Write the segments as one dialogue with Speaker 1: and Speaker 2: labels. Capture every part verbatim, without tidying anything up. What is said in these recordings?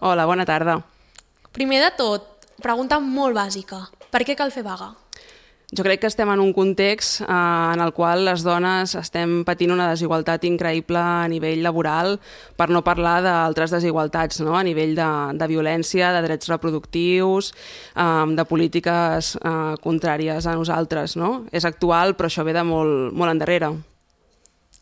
Speaker 1: Hola, bona tarda.
Speaker 2: Primer de tot, pregunta molt bàsica. Per què cal fer vaga?
Speaker 1: Jo crec que estem en un context eh, en el qual les dones estem patint una desigualtat increïble a nivell laboral, per no parlar d'altres desigualtats, no? A nivell de, de violència, de drets reproductius, eh, de polítiques eh, contràries a nosaltres, no? És actual, però això ve de molt, molt endarrere.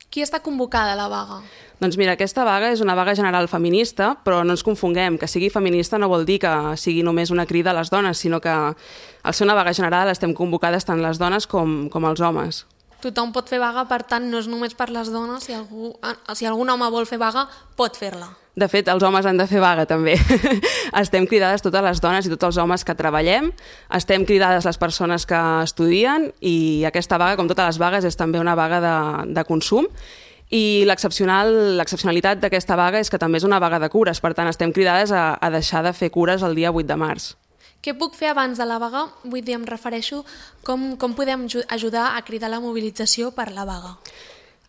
Speaker 2: Qui està convocada a la vaga?
Speaker 1: Doncs mira, aquesta vaga és una vaga general feminista, però no ens confonguem, que sigui feminista no vol dir que sigui només una crida a les dones, sinó que al ser una vaga general estem convocades tant les dones com, com els homes.
Speaker 2: Tothom pot fer vaga, per tant, no és només per les dones. Si, algú, si algun home vol fer vaga, pot fer-la.
Speaker 1: De fet, els homes han de fer vaga, també. Estem cridades totes les dones i tots els homes que treballem, estem cridades les persones que estudien i aquesta vaga, com totes les vagues, és també una vaga de, de consum. I l'excepcional, l'excepcionalitat d'aquesta vaga és que també és una vaga de cures, per tant estem cridades a, a deixar de fer cures el dia vuit de març.
Speaker 2: Què puc fer abans de la vaga? Vull dir, em refereixo com, com podem ajudar a cridar la mobilització per la vaga.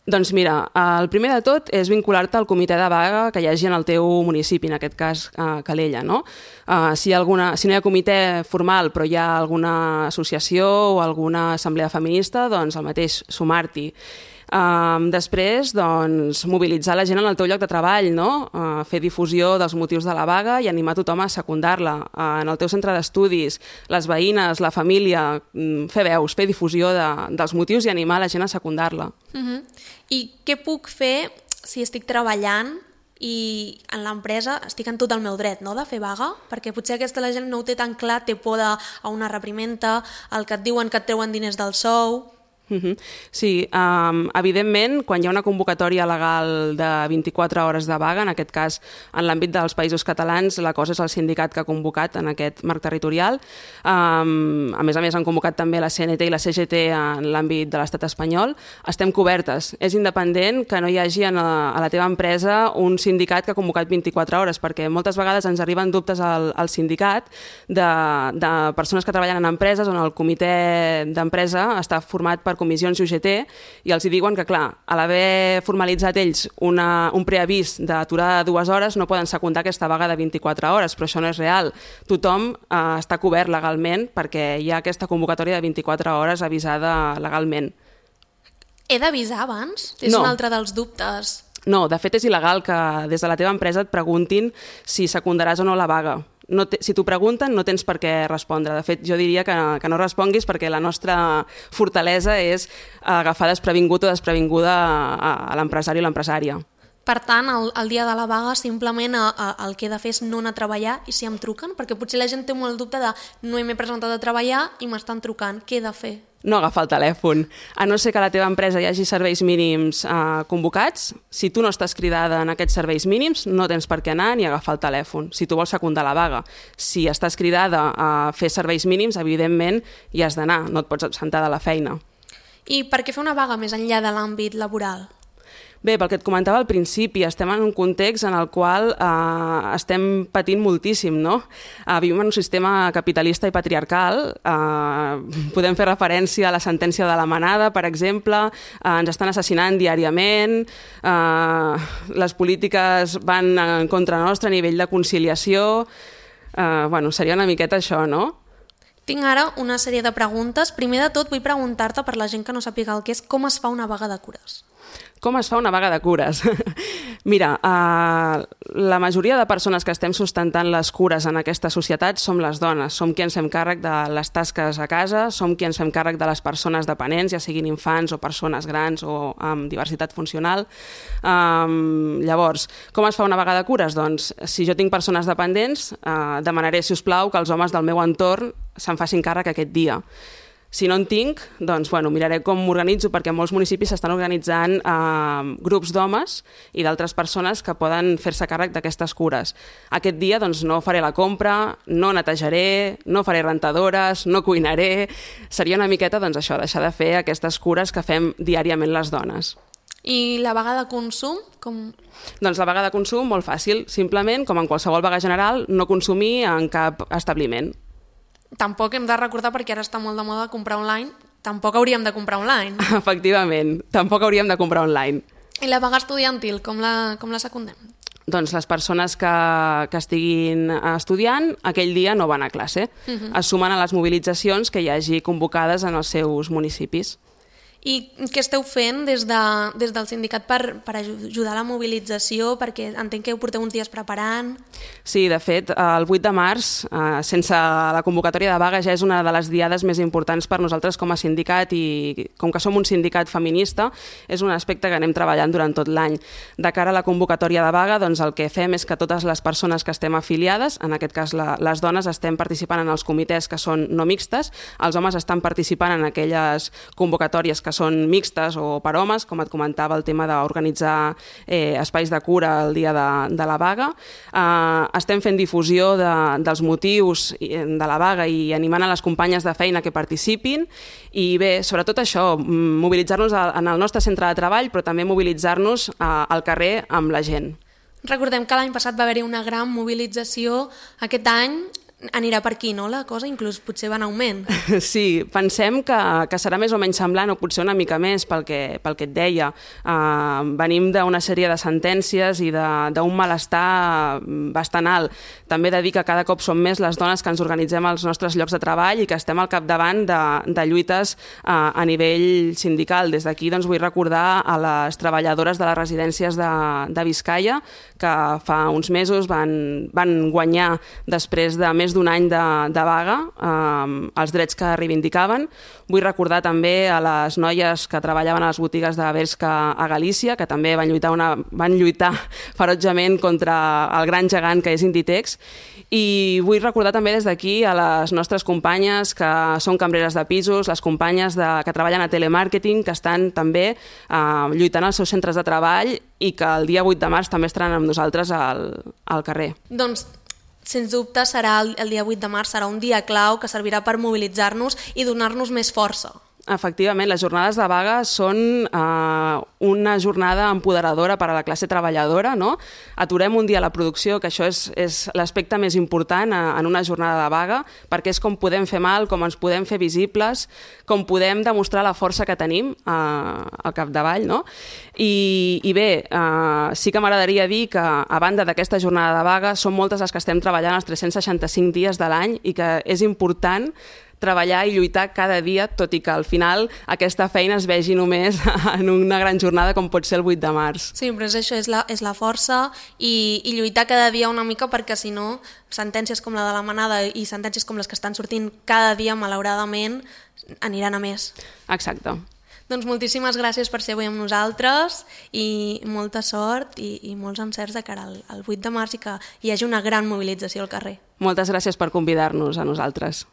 Speaker 1: Doncs mira, el primer de tot és vincular-te al comitè de vaga que hi hagi en el teu municipi, en aquest cas Calella, no? Si, alguna, si no hi ha comitè formal però hi ha alguna associació o alguna assemblea feminista, doncs el mateix, sumar-t'hi. Um, després, doncs, mobilitzar la gent en el teu lloc de treball, no? Uh, fer difusió dels motius de la vaga i animar tothom a secundar-la. Uh, en el teu centre d'estudis, les veïnes, la família, um, fer veus, fer difusió de, dels motius i animar la gent a secundar-la.
Speaker 2: Uh-huh. I què puc fer si estic treballant i en l'empresa estic en tot el meu dret, no?, de fer vaga? Perquè potser aquesta la gent no ho té tan clar, té por a una reprimenda, el que et diuen que et treuen diners del sou...
Speaker 1: Uh-huh. Sí, um, evidentment, quan hi ha una convocatòria legal de vint-i-quatre hores de vaga, en aquest cas, en l'àmbit dels països catalans, la cosa és el sindicat que ha convocat en aquest marc territorial. Um, a més a més, han convocat també la C N T i la C G T en l'àmbit de l'estat espanyol. Estem cobertes. És independent que no hi hagi a la teva empresa un sindicat que ha convocat vint-i-quatre hores, perquè moltes vegades ens arriben dubtes al, al sindicat de, de persones que treballen en empreses on el comitè d'empresa està format per comissions U G T i els hi diuen que, clar, a l'haver formalitzat ells una, un preavís d'aturada de dues hores no poden secundar aquesta vaga de vint-i-quatre hores, però això no és real. Tothom eh, està cobert legalment perquè hi ha aquesta convocatòria de vint-i-quatre hores avisada legalment.
Speaker 2: He d'avisar abans? És
Speaker 1: no.
Speaker 2: un altre dels dubtes.
Speaker 1: No, de fet és il·legal que des de la teva empresa et preguntin si secundaràs o no la vaga. No te, si t'ho pregunten, no tens per què respondre. De fet, jo diria que, que no responguis perquè la nostra fortalesa és agafar desprevingut o desprevinguda a, a l'empresari o l'empresària.
Speaker 2: Per tant, el, el dia de la vaga simplement a, a, el que he de fer és no anar a treballar i si em truquen, perquè potser la gent té molt dubte de no m'he presentat a treballar i m'estan trucant, què he de fer?
Speaker 1: No agafar el telèfon. A no ser que a la teva empresa hi hagi serveis mínims eh, convocats, si tu no estàs cridada en aquests serveis mínims, no tens per què anar ni agafar el telèfon, si tu vols secundar la vaga. Si estàs cridada a fer serveis mínims, evidentment hi has d'anar, no et pots absentar de la feina.
Speaker 2: I per què fer una vaga més enllà de l'àmbit laboral?
Speaker 1: Bé, pel que et comentava al principi, estem en un context en el qual eh, estem patint moltíssim, no? Eh, vivim en un sistema capitalista i patriarcal, eh, podem fer referència a la sentència de la Manada, per exemple, eh, ens estan assassinant diàriament, eh, les polítiques van en contra nostra a nivell de conciliació, eh, bueno, seria una miqueta això, no?
Speaker 2: Tinc ara una sèrie de preguntes. Primer de tot, vull preguntar-te, per la gent que no sàpiga el que és, com es fa una vaga de cures?
Speaker 1: Com es fa una vaga de cures? Mira, eh, la majoria de persones que estem sustentant les cures en aquesta societat som les dones. Som qui ens fem càrrec de les tasques a casa, som qui ens fem càrrec de les persones dependents, ja siguin infants o persones grans o amb diversitat funcional. Um, llavors, com es fa una vaga de cures? Doncs, si jo tinc persones dependents, eh, demanaré, si us plau, que els homes del meu entorn se'n facin càrrec aquest dia. Si no en tinc, doncs, bueno, miraré com m'organitzo, perquè en molts municipis s'estan organitzant eh, grups d'homes i d'altres persones que poden fer-se càrrec d'aquestes cures. Aquest dia doncs, no faré la compra, no netejaré, no faré rentadores, no cuinaré. Seria una miqueta doncs, això, deixar de fer aquestes cures que fem diàriament les dones.
Speaker 2: I la vaga de consum? Com...
Speaker 1: Doncs la vaga de consum, molt fàcil. Simplement, com en qualsevol vaga general, no consumir en cap establiment.
Speaker 2: Tampoc hem de recordar, perquè ara està molt de moda comprar online, tampoc hauríem de comprar online.
Speaker 1: Efectivament, tampoc hauríem de comprar online.
Speaker 2: I la vaga estudiantil, com la, com la secundem?
Speaker 1: doncs les persones que, que estiguin estudiant aquell dia no van a classe. Uh-huh. Es sumen a les mobilitzacions que hi hagi convocades en els seus municipis.
Speaker 2: I què esteu fent des, de, des del sindicat per, per ajudar a la mobilització? Perquè entenc que ho porteu uns dies preparant.
Speaker 1: Sí, de fet, el vuit de març, eh, sense la convocatòria de vaga, ja és una de les diades més importants per nosaltres com a sindicat i com que som un sindicat feminista, és un aspecte que anem treballant durant tot l'any. De cara a la convocatòria de vaga, doncs el que fem és que totes les persones que estem afiliades, en aquest cas la, les dones, estem participant en els comitès que són no mixtes, els homes estan participant en aquelles convocatòries que que són mixtes o per homes, com et comentava el tema d'organitzar eh, espais de cura el dia de, de la vaga. Eh, estem fent difusió de, dels motius de la vaga i animant a les companyes de feina que participin i bé, sobretot això, mobilitzar-nos en el nostre centre de treball, però també mobilitzar-nos eh, al carrer amb la gent.
Speaker 2: Recordem que l'any passat va haver-hi una gran mobilització. Aquest any anirà per aquí, no, la cosa? Inclús potser va en augment.
Speaker 1: Sí, pensem que, que serà més o menys semblant o potser una mica més pel que, pel que et deia. Uh, venim d'una sèrie de sentències i d'un malestar bastant alt. També he de dir que cada cop som més les dones que ens organitzem als nostres llocs de treball i que estem al capdavant de, de lluites uh, a nivell sindical. Des d'aquí doncs, vull recordar a les treballadores de les residències de, de Biscaia que fa uns mesos van, van guanyar després de més d'un any de, de vaga eh, els drets que reivindicaven. Vull recordar també a les noies que treballaven a les botigues de Bershka a Galícia, que també van lluitar, una, van lluitar ferotgement contra el gran gegant que és Inditex. I vull recordar també des d'aquí a les nostres companyes que són cambreres de pisos, les companyes de, que treballen a telemàrqueting, que estan també eh, lluitant als seus centres de treball i que el dia vuit de març també estaran amb nosaltres al, al carrer.
Speaker 2: Doncs sens dubte serà el, el dia vuit de març, serà un dia clau que servirà per mobilitzar-nos i donar-nos més força.
Speaker 1: Efectivament, les jornades de vaga són eh, una jornada empoderadora per a la classe treballadora, no? Aturem un dia la producció, que això és, és l'aspecte més important eh, en una jornada de vaga, perquè és com podem fer mal, com ens podem fer visibles, com podem demostrar la força que tenim eh, al capdavall, no? I, i bé, eh, sí que m'agradaria dir que a banda d'aquesta jornada de vaga són moltes les que estem treballant els tres-cents seixanta-cinc dies de l'any i que és important treballar i lluitar cada dia, tot i que al final aquesta feina es vegi només en una gran jornada com pot ser el vuit de març.
Speaker 2: Sí, però és això, és la, és la força i, i lluitar cada dia una mica perquè si no, sentències com la de la manada i sentències com les que estan sortint cada dia, malauradament, aniran a més.
Speaker 1: Exacte.
Speaker 2: Doncs moltíssimes gràcies per ser avui amb nosaltres i molta sort i, i molts encerts de cara al, al vuit de març i que hi hagi una gran mobilització al carrer.
Speaker 1: Moltes gràcies per convidar-nos a nosaltres.